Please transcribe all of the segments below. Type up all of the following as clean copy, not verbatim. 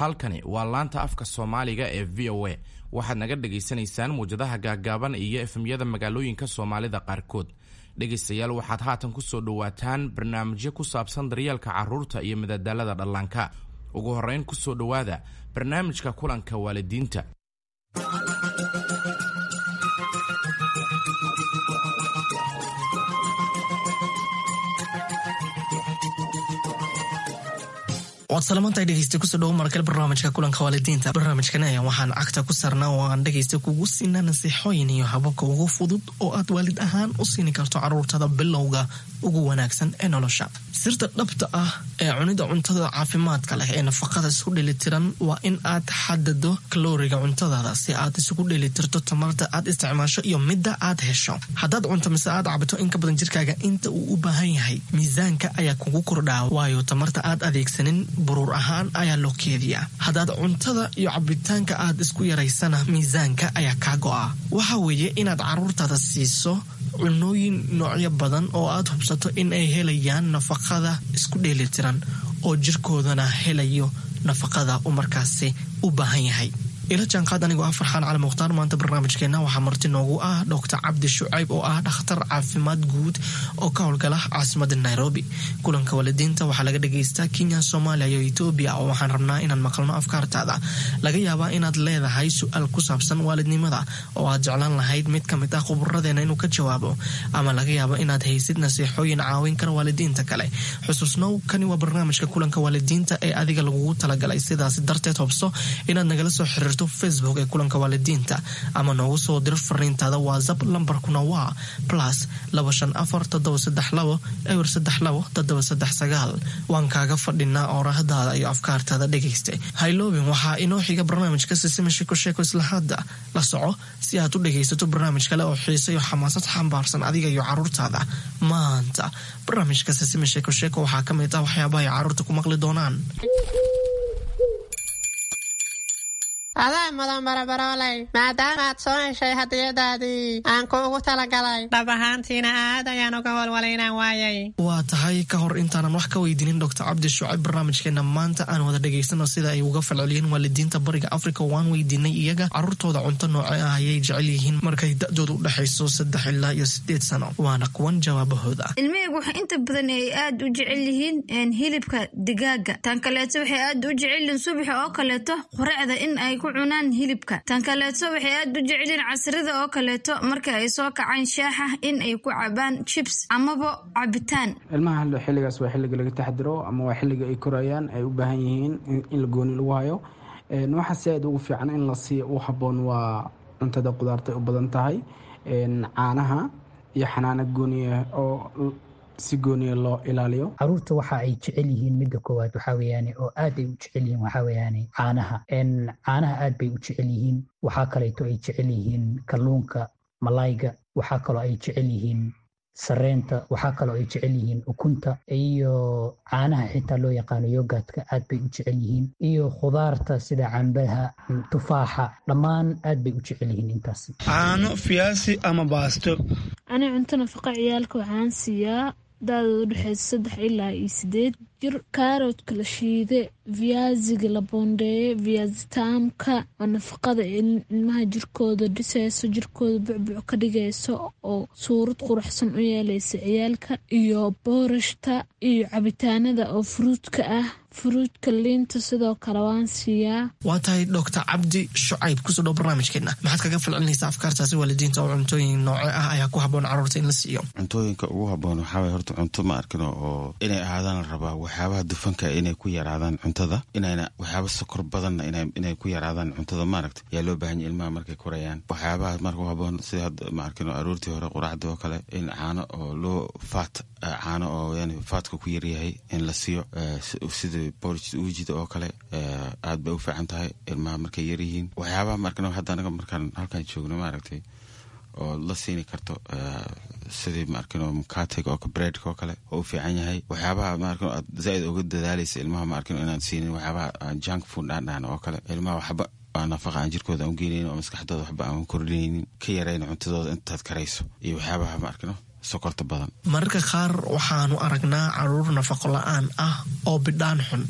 Halkani waa laanta afka Soomaaliga ee VOA. Waxaad naga dhagaysanaysaan muwjadaha gaaggaaban iyo FM-yada magaalooyinka Soomaalida qaarkood. Dhegaystayaal, waxaad haatan ku soo dhowaataan barnaamijyo ku saabsan daryeelka carruurta iyo madadaalada dhallaanka. Ugu horrayn, ku soo dhowaada barnaamijka kulanka waalidiinta. Waad salamantahay dhegeysta, kusoo dhawo markale barnaamijka kulanka waalidiinta. Barnaamijkan ayaa waxaan cagta ku saarnaa oo aan dhegeysta kugu siinaa nasiixooyin iyo hababka ugu fudud oo aad waalid ahaan u siini karto caruurtada bilowga ugu wanaagsan ee nolosha. Sirta dhabta ah ee cunida cuntada caafimaadka leh ee nafaqada isku dheelitiran waa in aad xadado kalooriga cuntadaada si aad isugu dheelitirto tamarta aad isticmaasho iyo midda aad hesho. Haddaad cunto mise aad cabto in ka badan jirkaaga inta uu u baahan yahay, miisaanka ayaa kugu kordhaa, waayo tamarta aad adeegsanin buruur ahaan ayaa loo keediyaa. Haddaad cuntada iyo cabitaanka aad isku yaraysana, miisaanka ayaa kaa go'a. Waxa weeye inaad caruurtaada siiso cunooyin noocyo badan oo aad hubsato in ay helayaan nafaqada isku dheelitiran oo jirkoodana helayo nafaqada uu markaasi u baahan yahay. Ila jaanqaad anigoo ah Farxaan Cali Mukhtaar. Maanta barnaamijkeena waxaa marti noogu ah Doctor Cabdi Shucayb oo ah dhakhtar caafimaad guud oo ka howlgala caasimada Nairobi. Kulanka waalidiinta waxaa laga dhagaystaa Kenya, Soomaaliya iyo Etoobiya, oo waxaan rabnaa inaan maqalno afkaartaada. Laga yaabaa inaad leedahay su-aal ku saabsan waalidnimada oo aad jeclaan lahayd mid ka mid ah khuburadeena inuu ka jawaabo, ama laga yaabo inaad haysid nasiixooyin caawin kara waalidiinta kale. Xusuusnow, kani waa barnaamijka kulanka waalidiinta ee adiga lagugu talagalay. Sidaas darteed hobso inaad nagala soo xiriirto Facebook ee kulanka waalidiinta ama noogu soo diro fariintaada WhatsApp. Lambarkuna waa +254 732 032 739. Waan kaaga fadhinaa oorahdaada iyo afkaartaada, dhegaysta. Hayloobin, waxaa inoo xiga barnaamijka Sisima Sheeko Sheeko. Isla hadda la soco si aad u dhegaysato barnaamij kale oo xiise iyo xamaasad xambaarsan adiga iyo caruurtaada. Maanta barnaamijka Sisima Sheeko Sheeko waxaa ka mid ah waxyaabaha ay caruurta ku maqli doonaan. Adaa mudan, barabarooley, maadaama aad soo heshay hadiyadaadii aan kuugu talagalay. Dhab ahaantiina aad ayaan uga walwalay inaan waayay. Waa tahay, ka hor intaanan wax ka weydiinin Doctor Cabdi Shucayb barnaamijkeena maanta, aan wada dhegaysano sida ay uga falceliyeen waalidiinta Bariga Africa. Waan weydiinay iyaga caruurtooda cunto nooce ah ayay jecel yihiin markay da-dooda u dhexayso 3 ilaa iyo 8 sano. Waana kuwan jawaabahooda. Ilmahaygu waxay inta badan ay aad u jecel yihiin hilibka digaaga. Tan kaleeto, waxay aad u jecel yihiin subaxa oo kaleeto quracda in ay ku cunaan hilibka. Tan kaleeto, waxay aad u jecelyihiin casrida oo kaleeto marka ay soo kacaan shaaxa in ay ku cabaan chips amaba cabitaan. Ilmaha xilligaas waa xilliga laga taxdiro ama waa xilliga ay korayaan, ay u baahan yihiin in la gooni lagu hayo. Waxaa si aad ugu fiican in la siiyo u habboon waa cuntada qudaarta u badan tahay, caanaha iyo xanaano gooniya oo si gooniya loo ilaaliyo. Caruurta waxa ay jecel yihiin, midda koowaad waxaa weeyaane oo aad ay u jecel yihiin, waxaa weeyaane caanaha. Caanaha aad bay u jecel yihiin. Waxaa kaleeto ay jecel yihiin kalluunka, malayga. Waxaa kaloo ay jecel yihiin sareenta. Waxaa kaloo ay jecel yihiin ukunta iyo caanaha xitaa loo yaqaano yogurtka, aad bay u jecel yihiin, iyo khudaarta sida cambaha, tufaaxa, dhammaan aad bay u jecel yihiin intaas. Caano, fiyaasi ama baasto. Ani cunto nafaqa ciyaalka waxaan siiyaa da-dooda udhexeysa 3 ilaa iyo 8 jir kaaroodka la shiide, viaziga la boondeeye, viazitaamka oo nafaqada ilmaha jirkooda dhiseyso, jirkooda bucbuc ka dhigayso oo suurad quruxsan u yeeleysa ciyaalka, iyo boorashta iyo cabitaanada oo fruitka ah, fruitka, liinta sidoo kale waan siiyaa. Waa tahay, Doctor Cabdi Shucayb, kusoo dhow barnaamijkeena. Maxaad kaga falcelinaysaa afkaartaasi waalidiinta oo cuntooyin nooce ah ayaa ku habboon caruurta in la siiyo? Cuntooyinka ugu habboon waxaa waye horta cunto, ma arkino, oo inay ahaadaan la rabaa waxyaabaha dufanka inay ku yaraadaan cuntada, inayna waxyaaba sokor badanna inay ku yaraadaan cuntada, maaragta, yaa loo baahan yahay ilmaha markay korayaan. Waxyaabaha marka u habboon sida hadda, ma arkino, aroortii hore quraacdii oo kale in caano oo loo faat, caano oo yani fatka ku yaryahay in la siiyo, sida porridge uujida oo kale, aad bay u fiican tahay ilmaha markay yaryihiin. Waxyaabaha, ma arkino, hadda anaga markaan halkan joogno, maaragtay, oo la siini karto sidii, ma arkino, mukatega oo breadka oo kale oo u fiican yahay. Waxyaabaha, ma arkino, aad zaaid uga dadaalaysa ilmaha, ma arkino, inaan siinin waxyaabaha junk food aan dhahno oo kale. Ilmaha waxba aan nafaqa aan jirkooda aan u geenaynin oo maskaxdooda waxba aan kordhinaynin, ka yarayn cuntadooda intaad karayso, iyo waxyaabaha, ma arkino, sokorta badan. Mararka qaar waxaanu aragnaa caruur nafaqo la-aan ah oo bidhaan xun.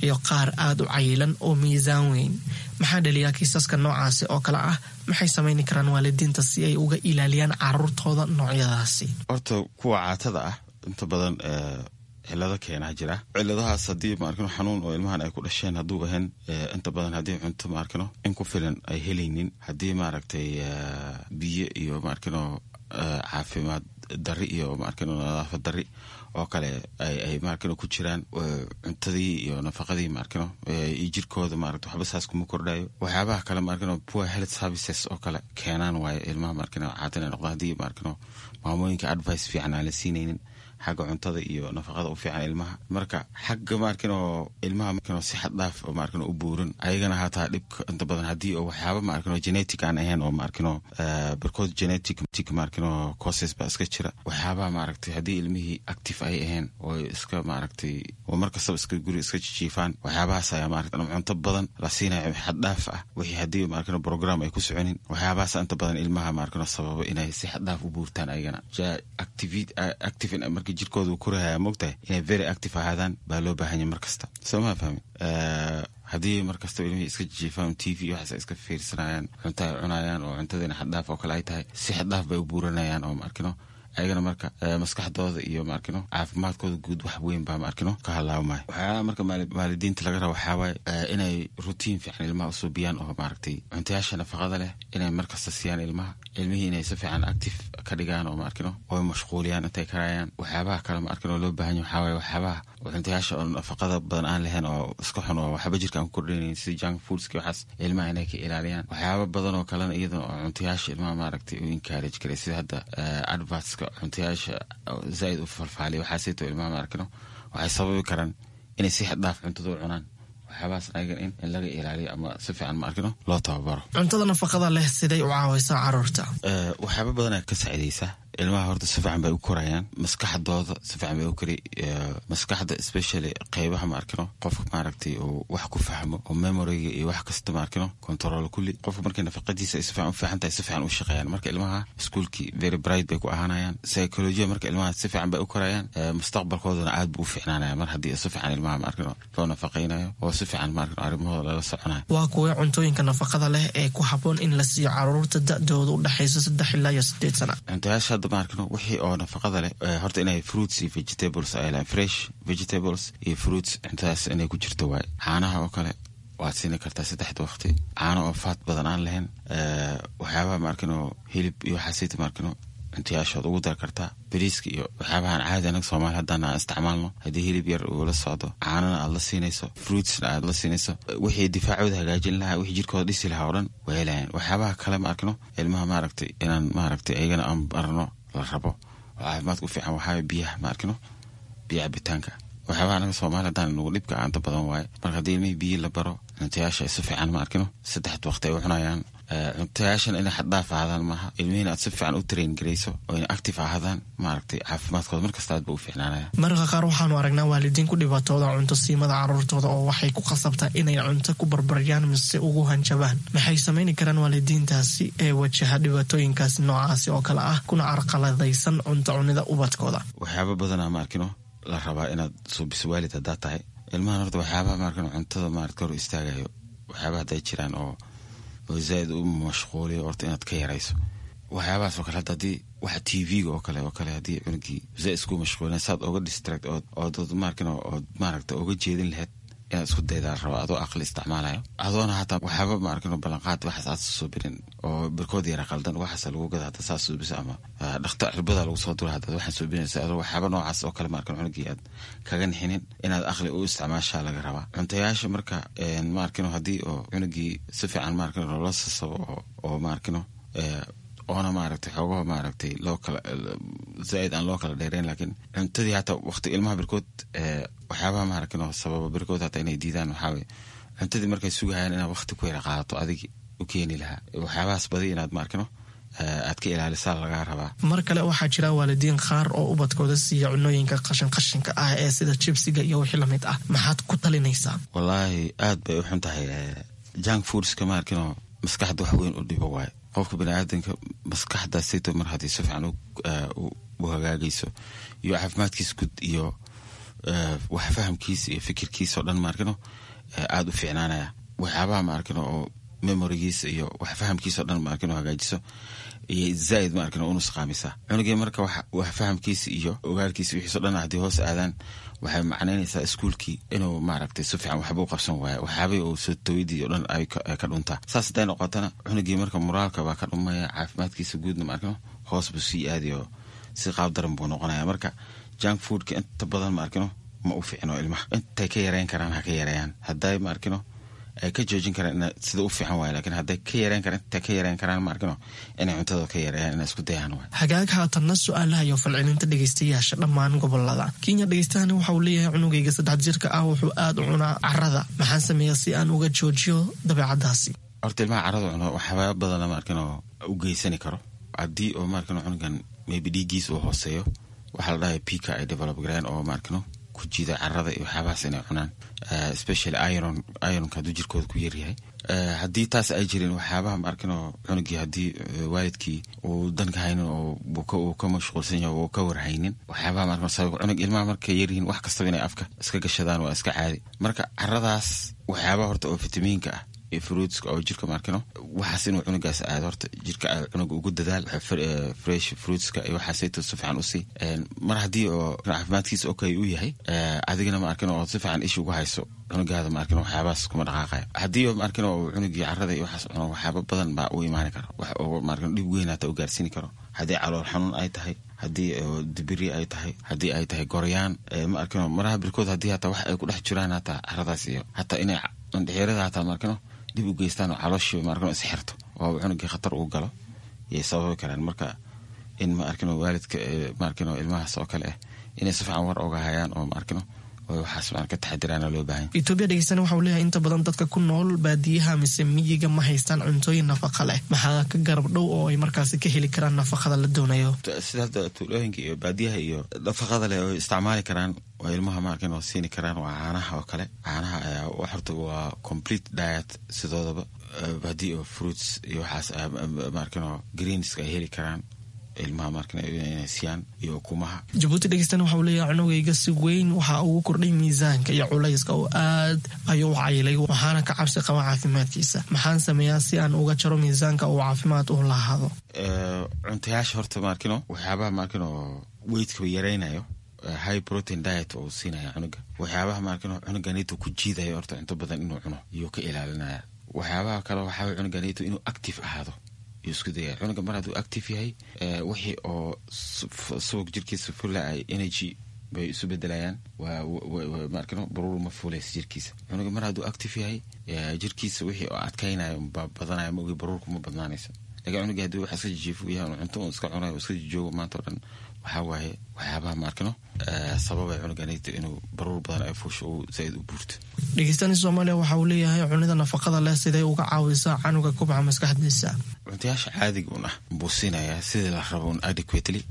iyo qaar aada u cayilan oo miisaan weyn. Maxaa dhaliyaa kiisaska noocaasi oo kale ah? Maxay samayni karaan waalidiinta si ay uga ilaaliyaan caruurtooda noocyadaasi? Horta kuwa caatada ah inta badan cilado keenaa jira. Ciladahaas haddii maarkino xanuun oo ilmahan ay ku dhasheen hadduu ahayn, inta badan haddii cunto maarkino in ku filan ay helaynin, haddii maaragtay biyo iyo maarkino caafimaad dari iyo maarkino nadaafad dari oo kale ay maarkino ku jiraan, cuntadii iyo nafaqadii maarkino iyo jirkooda maaragta waxba saas kuma kordhayo. Waxyaabaha kale maarkino poor health services oo kale keenaan waayo ilmaha maarkino caata inay noqdaan, haddii maarkino maamooyinka advice fiican aan la siinaynin xagga cuntada iyo nafaqada u fiican ilmaha. Marka xagga maarkino ilmaha maarkino si xad dhaaf oo maarkino u buuran ayagana hataa dhibka inta badan haddii oo waxyaaba maarkino genetic aan ahayn oo maarkino barkood genetic maarkino causes baa iska jira. Waxyaabaha maaragtay haddii ilmihii active ay ahayn oo iska maaragtay oo mar kastaba iska guri iska jijiifaan, waxyaabahaas ayaa maaragtay cunto badan la siinayo xad dhaaf ah, wixii haddii maarkino program ay ku soconin, waxyaabahaas inta badan ilmaha maarkino sababa inay si xad dhaaf u buurtaan ayagana. Active markii jirkooda uu korahaya, moogtahay inay very active ahaadaan baa loo baahanya mar kasta, soo maa fahmi? Haddii mar kastaba ilmihii iska jijiifaan, TV waxaas iska fiirsanayaan, cunto ay cunayaan oo cuntadiina xaddhaaf oo kale ay tahay, si xaddhaaf bay u buuranayaan oo maarkino ayagana marka maskaxdooda iyo maarkino caafimaadkooda guud wax weyn baa maarkino ka halaabmaya. Waxyaalaha marka waalidiinta laga raba waxaa waaye inay routine fiican ilmaha usuubiyaan oo maaragtay cuntayaasha nafaqada leh inay markasta siiyaan ilmaha, ilmihii inay si fiican active ka dhigaan oo maarkino oy mashquuliyaan intay karayaan. Waxyaabaha kale maarkino loo baahan yahay waxaa waaye waxyaabaha cuntayaasha oo nafaqada badan aan lahayn oo iska xun oo waxba jirka aan ku kordhinayn, sida junk foodski, waxaas ilmaha inay ka ilaaliyaan. Waxyaaba badan oo kalena iyadana oo cuntayaasha ilmaha maaragtay u encourage karay, sida hadda advertska cuntayaasha zaaid u falfaaliya, waxaasito ilmaha maarkino waxay sababi karaan inay si xad dhaaf cuntada u cunaan. Waxyaabahaas ayagan in laga ilaaliyo ama si fiican maarkino loo tababaro. Cuntada nafaqada leh siday u caawaysaa caruurta? Waxyaaba badanaa ka saacidaysa ilmaha. Horta si fiican bay u korayaan, maskaxdooda si fiican bay u kori, maskaxda especially qeybaha maarkino qofka maaragtay uu wax ku fahmo oo memoryga iyo wax kasta maarkino control kulli. Qofka markay nafaqadiisa ay si fiican u fiican tahay, si fiican u shaqeeyaan. Marka ilmaha iskuulkii very bright bay ku ahaanayaan, psychology marka ilmaha si fiican bay u korayaan, mustaqbalkoodana aad buu u fiicnaanaya mar haddii si fiican ilmaha maarkino loo nafaqaynayo oo si fiican maarkino arrimahooda lala soconayo. Waa kuwee cuntooyinka nafaqada leh ee ku habboon in la siiyo caruurta da-dooda u dhexaysa 3 ilaa iyo 8 sana? Cuntayaasha hadda maarkino wixii oo nafaqada leh horta inay fruits iyo vegetables ay lahayn, fresh vegetables iyo fruits, cuntadaas inay ku jirto waaye. Caanaha oo kale waad siini kartaa saddexda waqti, caano oo faat badan aan lahayn. Waxyaabaha maarkino hilib iyo waxaasita maarkino cuntayaashood ugu dar kartaa, bariiska iyo waxyaabahan caadi anaga Soomaali haddaan aan isticmaalno. Haddii hilib yar uu la socdo, caanana aad la siinayso, fruitsna aad la siinayso, wixii difaacooda hagaajin lahaa, wixii jirkooda dhisi lahaa oo dhan way helayaan. Waxyaabaha kale ma arkino ilmaha maaragtay inaan maaragtay ayagana aan barno la rabo oo caafimaadka u fiican waxaa biyaha ma arkino, biyo cabitaanka. Waxyaabaha anaga Soomaali haddaan nagu dhibka aanta badan waaye. Marka haddii ilmihii biyi la baro, cuntayaasha si fiican ma arkino saddexda waqti ay u cunayaan, cuntayaashan inay xaddhaaf ahaadaan maaha, ilmihiina aad si fiican u train garayso oo inay active ahaadaan, maaragtay caafimaadkooda markasta aad ba u fiicnaanaya. Mararka qaar waxaanu aragnaa waalidiin ku dhibaatooda cunto siimada caruurtooda oo waxay ku khasabtaa inay cunto ku barbaryaan mise ugu hanjabaan. Maxay samayni karaan waalidiintaasi ee wajaha dhibaatooyinkaasi noocaasi oo kale ah kuna carqaladaysan cunto cunida ubadkooda? Waxyaaba badanaa ma arkino la rabaa inaad suubiso waalid haddaa tahay ilmahan. Horta waxyaabaha maarkino cuntada maarata hor istaagayo, waxyaabaha hadday jiraan oo zaaid u mashquuliyo, horta inaad ka yarayso waxyaabahaas oo kale. Hadda haddii waxa TV-ga oo kale haddii cunugii zaaid isku mashquulina, saad oga distract ood maarkino ood maaragta oga jeedin lahayd inaad isku daydaa la rabaa, adoo aqli isticmaalayo, adoona hataa waxyaaba maarkino ballanqaad waxaas aad suubinin oo barkood yara qaldan waxaas lagu gada hadda saas suubisa ama dhakta cirbada lagu soo dura haddaad waxaan suubinaysa, adoo waxyaaba noocaas oo kale maarkino cunugii aad kaga nixinin, inaad aqli u isticmaashaa laga rabaa cuntayaasha. Marka maarkino haddii oo cunugii si fiican maarkino loola sasabo oo maarkino oona maaragtay xoogaha maaragtay loo kala zaaid aan loo kala dheereyn, laakiin cuntadii hataa waqti ilmaha barkood waxyaabaha maaragtay sababa barkood hataa inay diidaan waxaa weye cuntadii markay sugahayaan inaad waqti ku yara qaadato adigi u keeni lahaa. Waxyaabahaas badi inaad maarkino aad ka ilaalisaa lagaa rabaa. Mar kale waxaa jira waalidiin qaar oo ubadkooda siiya cunooyinka qashin qashinka ah ee sida jibsiga iyo wixii lamid ah. Maxaad ku talinaysaa? Wallaahi aad bay u xun tahay junk foodska, maarkino maskaxda wax weyn u dhibo waaye. Qofka baniaadanka maskaxda sito mar haddii si fiican u hagaagayso iyo caafimaadkiisa guud iyo Wax fahamkiisa iyo fikirkiisa oo dhan maarkino aada u fiicnaanaya. Waxyaabaha maarkino oo memorigiisa iyo wax fahamkiisa o dhan maarkino hagaajiso iyo zaaid maarkino u nusqaamisa cunugii. Marka wax fahamkiisa iyo ogaalkiisa wixiiso dhan haddii hoos aadaan, waxay macnaynaysaa iskuulkii inuu maaragtay si fiican waxba u qabsan waayo, waxyaabihii uu soo tawidii o dhan ay ka dhuntaa. Saas hadday noqotana, cunugii marka moraalka baa ka dhumaya, caafimaadkiisa guudna maarkino hoos buu sii aadayo, si qaab daran buu noqonaya. Marka junk foodka inta badan maarkino ma u fiicno ilmaha. Intay ka yareyn karaan ha ka yareeyaan. Hadday maarkino ay ka joojin karaan sida u fiican waay, lakiin hadday ka yareyn karaan, intay ka yareyn karaan maarkino inay cuntada ka yareeyaan, inay isku dayaan waay. Hagaag, haatanna su-aalaha iyo falcelinta dhegeystayaasha dhammaan gobolada Kenya. Dhegeystahani waxa uu leeyahay: cunugayga 3 jirka ah wuxuu aada u cunaa carada, maxaan sameeyaa si aan uga joojiyo dabeecadaasi? Horta ilmaha carada cuno waxyaaba badana maarkino u geysani karo. Haddii oo maarkino cunugan maybe dhiiggiisa uu hooseeyo, waxaa la dhahay pica ay develop gareen oo maarkino ku jiida carada iyo waxyaabahaas inay cunaan, especially iron. Ironka hadduu jirkooda ku yaryahay, haddii taas ay jirin, waxyaabaha maarkino cunugii haddii waalidkii uu danka haynin oo uu ka mashquulsan yahay, uu ka warhaynin waxyaabaha maarkino sabab cunug. Ilmaha markay yaryihiin wax kastaba inay afka iska gashadaan waa iska caadi. Marka caradaas waxyaabaha horta oo fitamiinka ah iyo fruitska oo jirka maarkino waxaas inuu cunugaas aado, horta jirka cunuga ugu dadaal fresh fruitska iyo waxaasayto si fiican usii. Mar haddii oo caafimaadkiisa okay uu yahay, adigana maarkino oo si fiican isha ugu hayso cunugaada, maarkino waxyaabahaas kuma dhaqaaqayo. Haddii oo maarkino uu cunugii carada iyo waxaas cuno, waxyaaba badan baa u imaani kara, wax oo maarkino dhib weyn hata u gaarsiini karo. Haddii calool xanuun ay tahay, haddii dibiri ay tahay, haddii ay tahay goryaan, ma arkino maraha birkood, haddii hataa wax ay ku dhex jiraan hataa caradaas iyo hataa inay mandhixirada hataa maarkino dib u geystaan oo calooshii maarkino isxirto oo cunugii khatar uu galo yay sababi karaan. Marka in ma arkino waalidka maarkino ilmahaas oo kale ah inay si fiican war oga hayaan oo maarkino waxaas ka taxadiraana loo baahan. Etoobiya dhegeystana waxa uu leeyahay: inta badan dadka ku nool baadiyaha mise miyiga ma haystaan cuntooyin nafaqa leh, maxaa ka garab dhow oo ay markaasi ka heli karaan nafaqada la doonayo? Sida hadda tuulooyinka iyo baadiyaha iyo nafaqada leh oo isticmaali karaan oo ilmaha maarkin oo siini karaan waa caanaha oo kale. Caanaha ayaa horta waa complete diet sidoodaba. Haddii oo fruits iyo waxaas maarkin oo greenska ay heli karaan ilmaha markan inay siiyaan iyo ukumaha. Jabuuti dhegeystana waxa uu leeyahay: cunugayga si weyn waxa ugu kordhay miisaanka iyo culayska oo aad ayuu u cayilay, waxaana ka cabsi qaba caafimaadkiisa. Maxaan sameeyaa si aan uga jaro miisaanka uu caafimaad u lahaado? Cuntayaasha horta maarkino waxyaabaha maarkino weightka yaraynayo, high protein diet oo siinaya cunuga. Waxyaabaha maarkino cunuganito ku jiidayo horta cunto badan inuu cuno iyuu ka ilaalinaya. Waxyaabaha kale waxaa cunuganito inuu active ahaado iyo isku daya. Cunuga mar hadduu active yahay, wixii oo subag jirkiisa fula ay energy bay isu bedelayaan, maarkino baruur ma fuulaysa jirkiisa. Cunuga mar hadduu active yahay, jirkiisa wixii oo adkaynaya baa badanaya, ma ogi baruurku ma badnaanayso. Lakiin cunuga haddii wax iska jijiifu yahay, cunto un iska cunayo, iska jijoogo maanta o dhan, waxaa waaye waxyaabaha maarkino sababay cunuganito inuu baruur badan ay fuusho, uu zaaid u buurto. Dhegeystani Soomaaliya waxa uu leeyahay: cunida nafaqada leh siday uga caawisaa canuga kubca maskaxdiisa? Cuntayaasha caadiga un ah buu siinayaa sidii la rabo un adequately,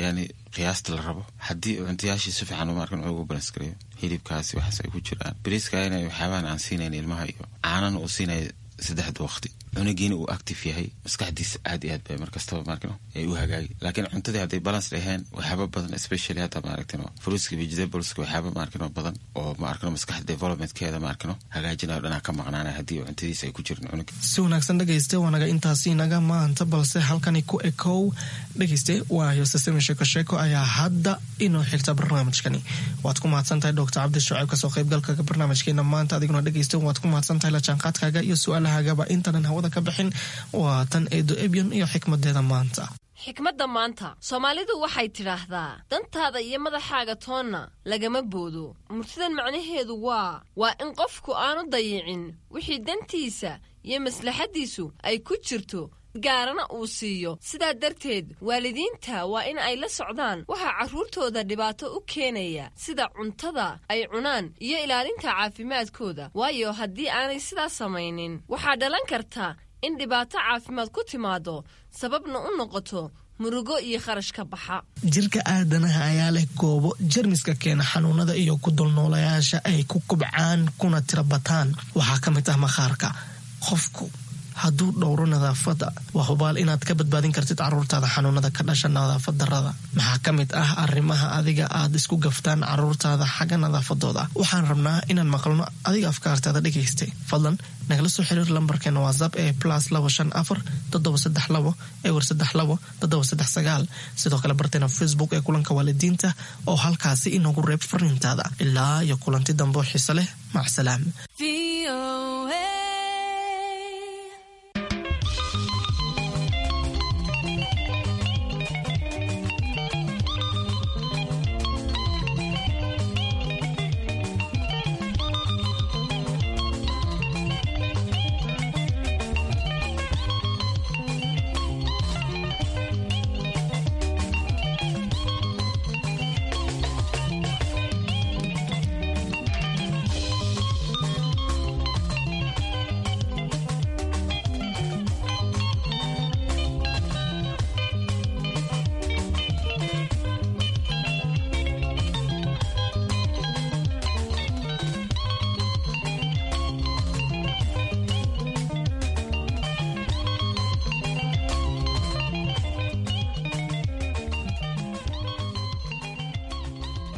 yani qiyaasta la rabo. Haddii cuntayaashii si fiican maarkan ugu balance gareeyo, hilibkaasi waxaas ay ku jiraan, bariiska inay waxyaabahan aan siinayn ilmaha iyo caanana uu siinaya saddexda waqti, cunugiina uu active yahay, maskaxdiisa aad iyo aad bay markastaba maarkino ay u hagaagi. Laakiin cuntadii hadday balance dhaheen, waxyaaba badan, especially hadda maaragtino fruitska, vegetables-ka, waxyaaba maarkino badan oo maarkino maskaxda developmentkeeda maarkino hagaajinayo dhanaa ka maqnaanaya haddii cuntadiisa ay ku jirin cunuga. Si wanaagsan dhegayste, waanaga intaasi naga maanta, balse halkani ku ekow dhegayste. Waa yosesemi Sheeko Sheeko ayaa hadda inoo xigta barnaamijkani. Waad ku mahadsan tahay Doctor Cabdi Shucayb kasoo qaybgalka barnaamijkeena maanta. Adiguna dhegayste waad ku mahadsan tahay la jaanqaadkaaga iyo su-aalahagaba. Intaanan hawada ka bixin, waa tan Eedo Ebyon iyo xikmadeeda maanta. Xikmadda maanta, Soomaalidu waxay tidhaahdaa: dantaada iyo madaxaaga toonna lagama boodo. Murtidan macnaheedu waa in qofku aanu dayicin wixii dantiisa iyo maslaxaddiisu ay ku jirto, gaarana uu siiyo. Sidaa darteed waalidiinta waa in ay la socdaan waxaa carruurtooda dhibaato u keenaya, sida cuntada ay cunaan iyo ilaalinta caafimaadkooda, waayo haddii aanay sidaas samaynin waxaa dhalan karta in dhibaato caafimaad ku timaado, sababna u noqoto murugo iyo kharash ka baxa. Jirka aadanaha ayaa leh goobo jermiska keena xanuunada iyo ku dulnoolayaasha ay ku kubcaan kuna tira bataan. Waxaa ka mid ah maqaarka. Qofku hadduu dhowro nadaafadda, waa hubaal inaad ka badbaadin kartid caruurtaada xanuunada ka dhasha nadaafad darrada. Maxaa ka mid ah arrimaha adiga aad isku gaftaan caruurtaada xagga nadaafadooda? Waxaan rabnaa inaan maqalno adiga afkaartaada dhegaystay. Fadlan nagala soo xiriir lambarkeena WhatsApp ee +254 732 032 739. Sidoo kale barteena Facebook ee Kulanka Waalidiinta oo halkaasi inoogu reeb fariintaada. Ilaa iyo kulanti dambe oo xiise leh, macsalaam.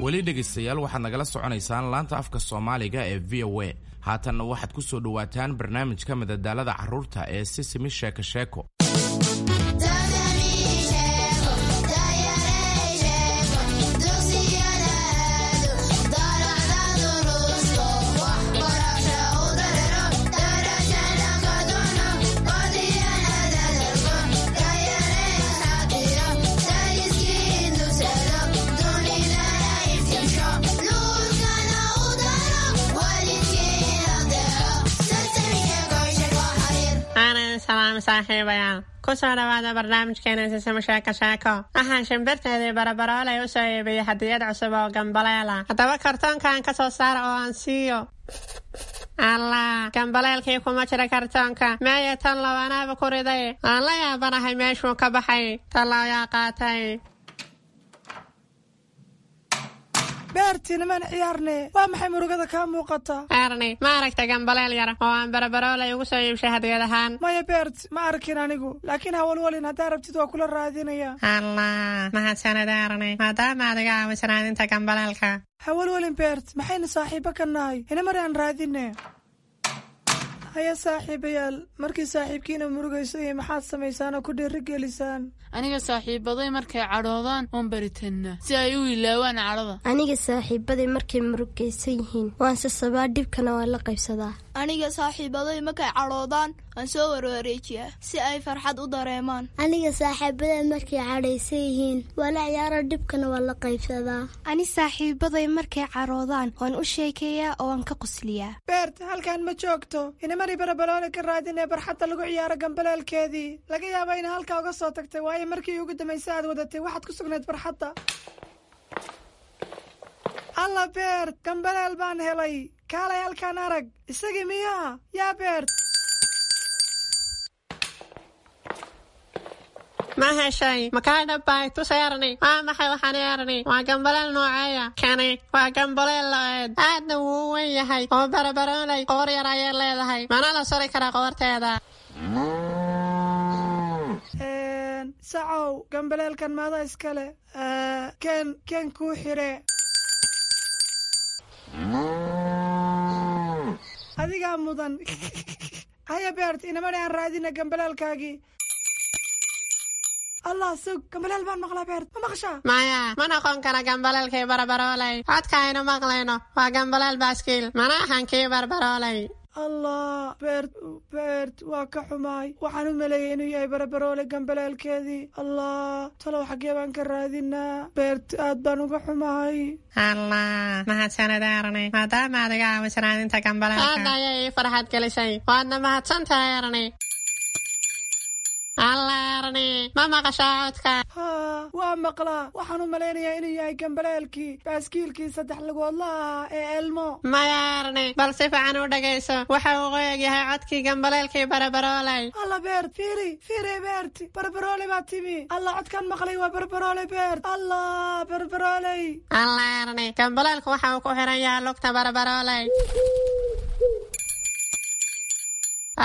Weli dhegaystayaal, waxaad nagala soconaysaan laanta afka Soomaaliga ee VOA. Haatanna waxaad ku soo dhowaataan barnaamijka madadaalada carruurta ee Sisimi Sheeko Sheeko. Salaam saaxiibayaal, ku soo dhawaada barnaamijkeena Sisimo Sheeko Sheeko. Waxaan shimbirteedii Barabaroolay u soo iibiyey hadiyad cusub oo gambaleela. Haddaba kartoonkan ka soo saara oo aan siiyo. Allah, gambaleelkii kuma jira kartoonka. Meeye tan lawanaaba ku riday? Aan la yaabanahay meeshuu ka baxay. Tallaayaa qaatay? Beertii, nimaan ciyaarne, waa maxay murugada kaa muuqata? Erni, ma aragta gambaleel yar oo aan Barabaroolay ugu soo iibshay hadiyad ahaan? Maya Beert, ma arkin anigu, laakiin hawalwalin, haddaa rabtid waa kula raadinaya. Allah, mahadsanid Erni, maadaama aad iga caawiso raadinta gambaleelka. Hawalwalin Beert, maxaynu saaxiibo ka nahay? Inamar aan raadine. Haya saaxiibayaal, markii saaxiibkiina murugayso iyo maxaad samaysaan oo ku dhiirigelisaan? Aniga saaxiibaday markay cadhoodaan waan baritannaa si ay u ilaawaan cadhada. Aniga saaxiibaday markay murugaysan yihiin waan sasabaa, dhibkana waan la qaybsadaa. Aniga saaxiibaday markay cadhoodaan waan soo warwareejiyaa si ay farxad u dareemaan. Aniga saaxiibaday markay cadhaysan yihiin waa la ciyaara, dhibkana waan la qaybsadaa. Ani saaxiibaday markay cadhoodaan waan u sheekeeyaa oo waan ka qosliyaa. Beert, halkan ma joogto. Inamari Barabaloole ka raadinee barxadda lagu ciyaaro gambaleelkeedii. Laga yaaba ina halkaa uga soo tagtay, waayo markii ugu dambaysa aad wadatay waxaad ku sugnayd barxadda. Alla Beert, gambaleel baan helay. Kaalay halkaan arag. Isagii miyaa yaa Beert? Ma heshay? Makaa dhabbay? Tus Erni. Waa maxay waxaan Erni? Waa gambaleel nooceeya kani? Waa gambaleel lo-eed, aadna wuu u weyn yahay oo Barabaroolay qoor yar ayay leedahay, mana la suri karaa qoorteeda. Sacow, gambaleelkan maada iskale? Ken ken kuu xire. Adigaa mudan. Haya Beert, inamani aan raadina gambaleelkaagii. Allah, sug, gambaleel baan maqlaa. Beert, ma maqashaa? Maya, ma noqon kara gambaleelkii Barabaroolay. Codka aynu maqlayno waa gambaleel baaskiil, mana ahan kii Barbaroolay. Allah Beert, Beert, waa ka xumaay. Waxaan u maleeyay inuu yahay Barabaroole gambaleelkeedii. Allah, talow xaggee baan ka raadinaa? Beert, aad baan uga xumahay. Allah, mahadsanid Erni, maadaama aad iga caawiso raadinta gambaleelka. Aad ayay ii farxad gelisay, waadna mahadsan tahay Erni. Allah Erni, ma maqashaa codka? Haa, waa maqlaa. Waxaan u malaynayaa inuu yahay gambaleelkii baaskiilkii saddex lugoodla ahaa ee Elmo. Maya Erni, bal si fiican u dhagayso. Waxa uu qoyag yahay codkii gambaleelkii Barabaroolay. Alla Beert, fiiri fiiri. Beert, Barbaroole baa timi. Alla, codkaan maqlay waa Barbaroole. Beert, Allah, Barbarooley. Allah Erni, gambaleelku waxa uu ku xiran yahay lugta Barabarooley.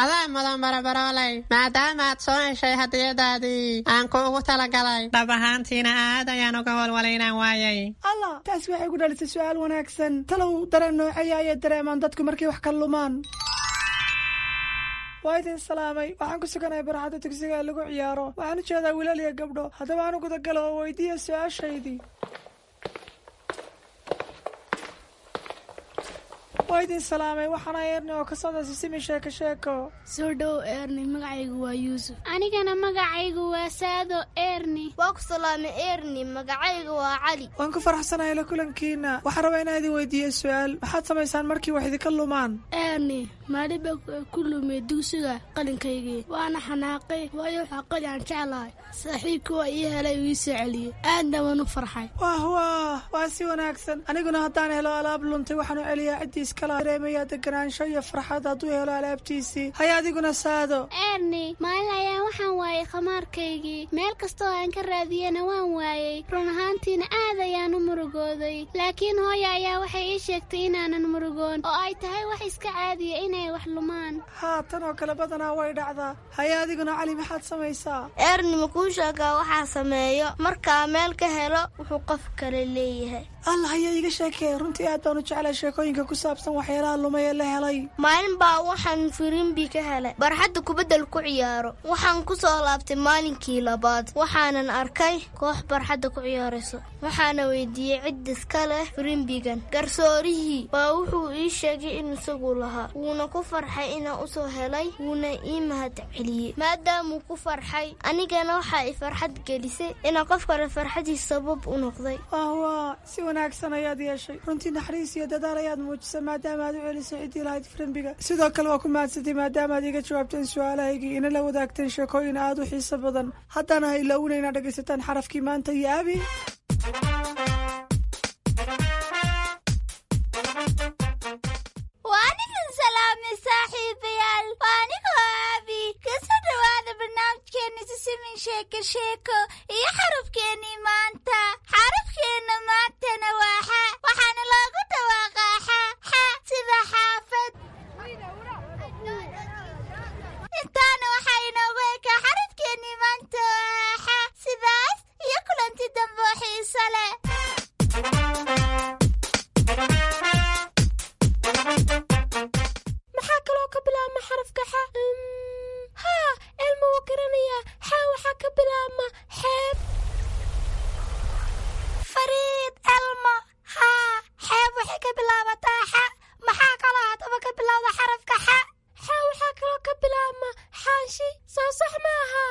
Adaa mudan Barabarooley, maadaama aad soo heshay hadiyadaadii aan kuugu talagalay. Dhab ahaantiina aad ayaan uga walwalay inaan waayay. Allah, taasi waxay ku dhalisay su'aal wanaagsan. Talow dareen nooceeya ayay dareemaan dadku markay wax ka lumaan? Waa idin salaamay. Waxaan ku suganahay barxadda dugsiga ee lagu ciyaaro. Waxaan u jeedaa wiilal iyo gabdho. Haddaba aan u gudagalo oo weydiiya su-aashaydii. Waa idin salaamay. Waxaana Eerni oo ka socda Sisimi Sheeko Sheeko. Soo dhow Eerni, magacaygu waa Yuusuf. Anigana magacaygu waa Saado Eerni. Waa ku salaamay Eerni, magacaygu waa Cali. Waan ku faraxsanahay la kulankiina. Waxaan rabaa inaan idin weydiiyo su-aal. Maxaad samaysaan markii wax idinka lumaan? Eerni, maalin baa ku lumay dugsiga qalinkaygii, waana xanaaqay, waayo waxaa qali aan jeclahay. Saaxiibkii waa ii helay, uu ii soo celiyey, aadna waan u farxay. Wah wah, waa si wanaagsan. Aniguna haddaan helo alaab luntay, waxaan u celiyaa ciddii iskala. Dareemayaa deganaansho iyo farxad hadduu helo alaabtiisii. Haya adiguna Saado. Eerni, maalin ayaan waxaan waayay khamaarkaygii. Meel kastoo aan ka raadiyena waan waayey. Run ahaantiina aad ayaan u murugooday, laakiin hooya ayaa waxay ii sheegtay inaanan murugoon oo ay tahay wax iska caadiya inay wax lumaan. Haa, tan oo kale badanaa way dhacdaa. Haya adiguna Cali, maxaad samaysaa? Eerni, ma kuu sheegaa waxaa sameeyo markaa meel ka helo wuxuu qof kale leeyahay? Allah, haya iiga sheekee. Runtii aad baan u jeclay sheekooyinka ku saabsan waxyaalaha lumay ee la helay. Maalin baa waxaan firimbi ka helay barxadda kubaddal ku ciyaaro. Waxaan ku soo laabtay maalinkii labaad, waxaanan arkay koox barxadda ku ciyaarayso. Waxaana weydiiyey cid iska leh firimbigan. Garsoorihii baa wuxuu ii sheegay in isagu lahaa, wuuna ku farxay inaan usoo helay, wuuna ii mahad celiyey. Maadaamuu ku farxay, anigana waxaa i farxad gelisay inaan qof kale farxadiis sabab u noqday. Wah, si wanaagsan ayaad yeeshay. Runtii naxariis iyo dadaal ayaad muujisay maadaama aad u celisay ciddii lahayd firimbiga. Sidoo kale waa ku mahadsantay maadaama aad iga jawaabteen su-aalahaygii, ina la wadaagteen sheekooyin aad u xiiso badan. Haddana ha ilowna inaad dhegaysataan xarafkii maanta iyo Abi. Waan idin salaamay saaxiibayaal, waa anigoo Aabi. Kasoo dhowaada barnaamijkeena Sisimin Sheeko Sheeko iyo xarafkeennii maanta. Xarafkeenna maantana waa xa, waxaana loogu dhawaaqaa xa xa, sida xaafad. Intaana waxaa inoogu ekaa xarafkeennii maanta oo xa. Sidaas iyo kulanti dambe oo xiiso leh. Maxaa kaloo ka bilaabma xarafka xa? Haa, Elma wuu garanayaa. Xa waxaa ka bilaabma xeeb. Fariid Elmo, haa, xeeb waxay ka bilaabataa xa. Maxaa kaloo haddaba ka bilowda xarafka xa? Xa waxaa kaloo ka bilaabma xaanshi, soo sax maaha?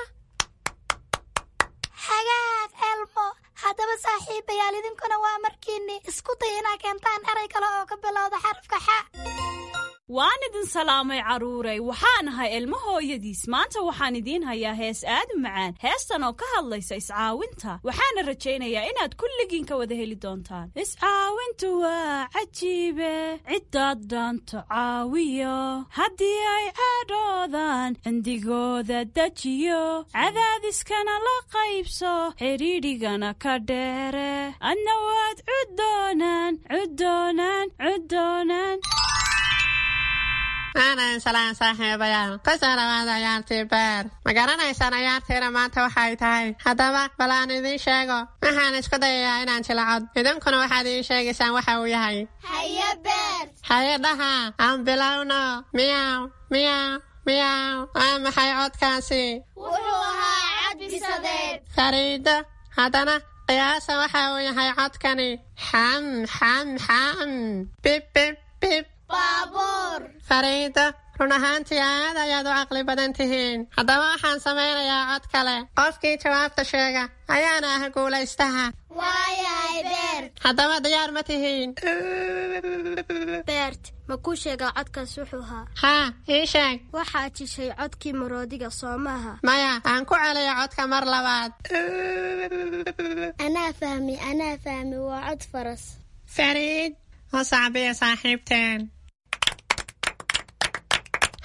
Hagaag Elmo. Haddaba saaxiibayaal, idinkuna waa markiinni isku day inaa keentaan eray kale oo ka bilowda xarafka xa. Waan idin salaamay carruuray. Waxaan ahay Ilmo hooyadiis. Maanta waxaan idiin hayaa hees aad u macaan, heestan oo ka hadlaysa iscaawinta. Waxaana rajaynayaa inaad kulligiin ka wada heli doontaan. Iscaawintu waa cajiibe, ciddaad dhaanto caawiyo, haddii ay cadhoodaan cindigooda dejiyo, cadaadiskana la qaybso, xidhiidhigana ka dheere, adna waad cuddoonaan cuddoonaan cuddoonaan. Aanan salaan saaxiibayaal, kusoo dhawaada ciyaartii beer. Ma garanaysaan ciyaartiina maanta waxay tahay? Haddaba bal aan idiin sheego. Waxaan isku dayayaa inaan jilacod, idinkuna waxaad ii sheegaysaan waxa uu yahay. Haye Beer. Haye dhaha, aan bilowno. Miyaw miyaw miyaw, waa maxay codkaasi? Wuxuu ahaa cad bisadeed. Fariido, haddana qiyaasa waxa uu yahay codkani. Xam xam xam, bib bib bib. Baabuur. Fariido, run ahaantii aad ayaad u caqli badan tihiin. Haddaba waxaan samaynayaa cod kale. Qofkii jawaabta sheega ayaana ah guulaystaha. Waayahay Beer. Haddaba diyaar ma tihiin? Beert, ma kuu sheegaa codkaas wuxuu ahaa? Haa, ii sheeg. Waxaad jishay codkii maroodiga, soo maaha? Maya, aan ku celiyo codka mar labaad. Anaa fahmi, anaa fahmi, waa cod faras. Fariid, u sacbiya saaxiibteen.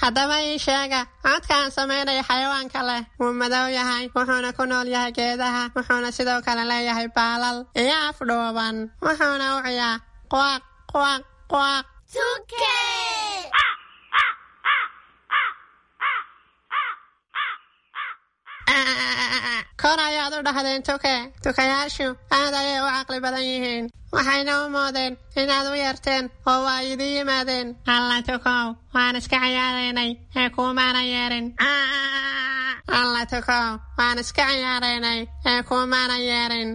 Haddaba ii sheega codka aan samaynayo xayawaanka leh. Wuu madow yahay, wuxuuna ku nool yahay geedaha, wuxuuna sidoo kale leeyahay baalal iyo af dhuuban, wuxuuna u ciyaa quaq quaq quaq. Tuke. Kor ayaad u dhahdeen tuke. Tukayaashu aad ayay u caqli badan yihiin, waxayna u moodeen inaad u yeerteen oo waa idin yimaadeen. Alla tukow, waan iska ciyaaraynay ee kuumaana yeerin. Alla tukow, waan iska ciyaaraynay ee kuumaana yeerin.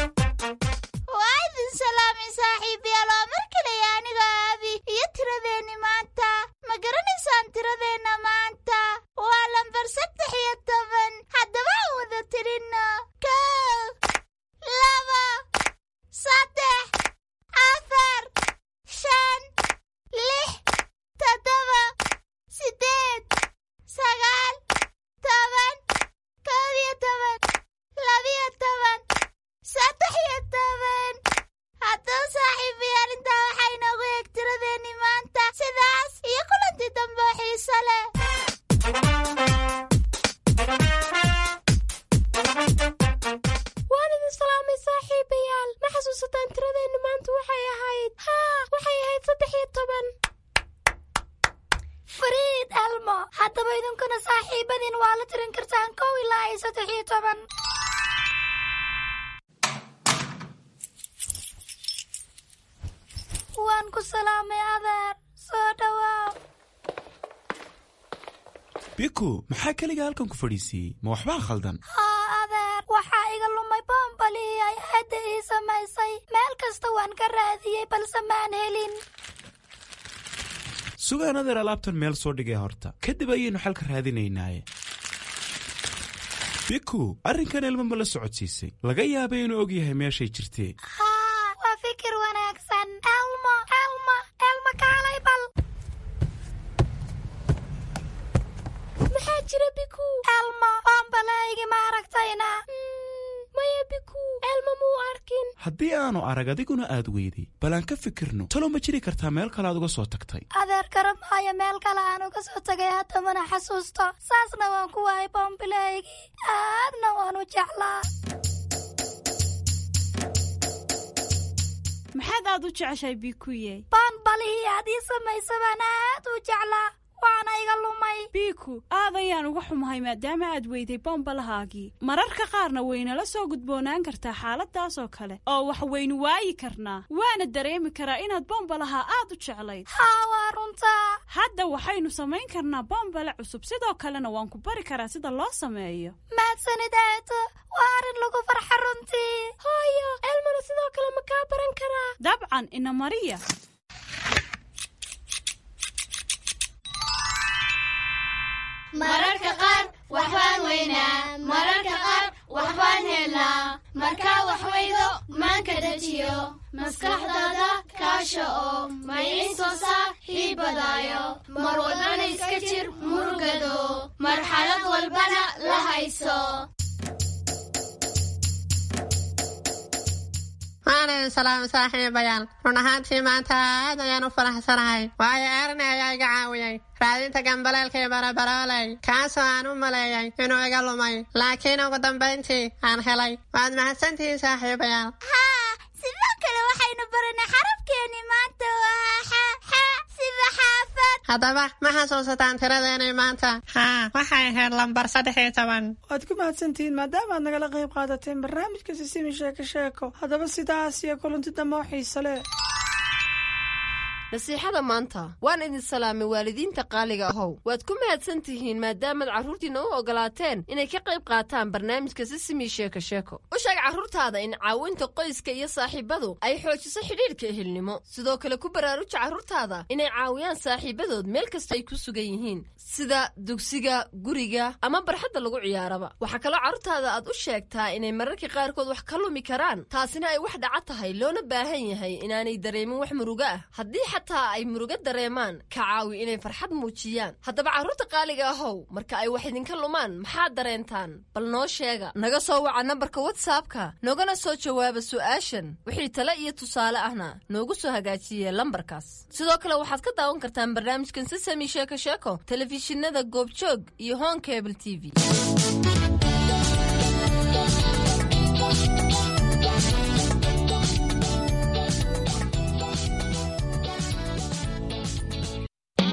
Waa idin salaamay saaxiibayaal, waa mar kale aniga Aabi iyo tiradeenni maanta. Ma garanaysaan tiradeenna maanta? Waa lambar 13. Haddaba aan wada tirinno: 1, 2, 3, 4, 5, 6, 7, 8, 9, 10, 11, 12, 13. Haddaba saaxiibayaal, intaa waxaa inoogu eeg tiradeenni maanta. Sidaas iyo kulantii dambe oo xiiso leh. Waan idin salaamay saaxiibayaal. Ma xasuusataan tiradeenna maanta waxay ahayd? Haa, waxay ahayd 13. Fariid Elmo, haddaba idinkuna saaxiibadiin waa la tirin kartaan 1 ilaa iyo 13. Waan ku salaamay adeer, soo dhawaaw. Biku, maxaa keliga halkan ku fadhiisiiyey? Ma waxbaa khaldan? Haa adeer, waxaa iga lumay boombalihii ay aadda ii samaysay. Meel kasta waan ka raadiyey balse maan helin. Sugaan adeer, alaabtan meel soo dhigay horta, kadib ayaynu xalka raadinaynaaye. Biku, arrinkan Elmo ma la socodsiisay? Laga yaabay inuu og yahay meeshay jirtee. Haa, waa fikir wanaagsan. Elmo, Elmo, Elmo, kaalay bal. Maxaa jira, Biku? Elmo, boombalahaygi ma aragtayna? Maya Biku, Elmo muu arkin. Haddii aanu arag adiguna aad weyday, bal aan ka fikirno. Talow ma jiri kartaa meel kale aad uga soo tagtay? Adeer, garan maayo meel kale aan uga soo tagay, hadda mana xasuusto. Saasna waan ku waayay boombilahaygii, aadna waan u jeclaa. Maxaad aad u jeceshahay, Bikuye? Boonbalihii aad ii samaysa baan aad u jeclaa, waana iga lumay. Biku, aad ayaan uga xumahay maadaama aad weyday bombalahaagii. Mararka qaarna waynala soo gudboonaan kartaa xaaladaas oo kale oo wax waynu waayi karnaa, waana dareemi karaa inaad bombalaha aad u jeclayd. Haa, waa runtaa. Hadda waxaynu samayn karnaa bombale cusub, sidoo kalena waan ku bari karaa sida loo sameeyo. Mahadsanid aato, waa arrin lagu farxa runtii. Hooyo, Elmona sidoo kale ma kaa baran karaa? Dabcan, ina mariya. Mararka qaar waxbaan weynaa, mararka qaar waxbaan helnaa. Markaa wax weydo, maanka dejiyo, maskaxdaada kaasha oo maciinsoosaa hiibadaayo. Mar walbana iska jir murugado, marxalad walbana la hayso. Waan idin salaamay saaxiibayaal. Run ahaantii maanta aad ayaan u faraxsanahay, waayo Erne ayaa iga caawiyey raadinta gambaleelkii barabarooley, kaasoo aan u maleeyay inuu iga lumay, laakiin ugu dambayntii aan helay. Waad mahadsantihiin saaxiibayaal. Haa, sidoo kale waxaynu baranay xarafkeeni maanta waa xa, xa sida xaafad. Haddaba ma xasuusataan tiradeenii maanta? Haa, waxay ahayd lambar 13. Waad ku mahadsantihiin maadaama aad nagala qayb qaadateen barnaamijka Sisimi Sheeko Sheeko. Haddaba sidaas iyo kulanti dambe oo xiise leh. Nasiixada maanta. Waan idin salaamay waalidiinta qaaliga ahow. Waad ku mahadsan tihiin maadaamaad carruurtiinna u ogolaateen inay ka qayb qaataan barnaamijka Sisimi Sheeko Sheeko. U sheeg carruurtaada in caawinta qoyska iyo saaxiibadu ay xoojiso xidhiidhka ehelnimo. Sidoo kale ku baraaruja carruurtaada inay caawiyaan saaxiibadood meel kasta ay ku sugan yihiin, sida dugsiga, guriga ama barxadda lagu ciyaaraba. Waxaa kaloo carruurtaada aad u sheegtaa inay mararka qaarkood wax ka lumi karaan, taasina ay wax dhaca tahay, loona baahan yahay inaanay dareemin wax murugo ah. Haddii xataa ay murugo dareemaan, ka caawi inay farxad muujiyaan. Haddaba carruurta qaaliga ahow, marka ay wax idinka lumaan maxaad dareentaan? Bal noo sheega. Naga soo waca nambarka WhatsAppka, noogana soo jawaaba su'aashan. Wixii tale iyo tusaale ahna noogu soo hagaajiye lambarkaas. Sidoo kale waxaad ka daawan kartaan barnaamijkan Sisami Sheeko Sheeko telefishinada Goobjoog iyo Hon Cable TV.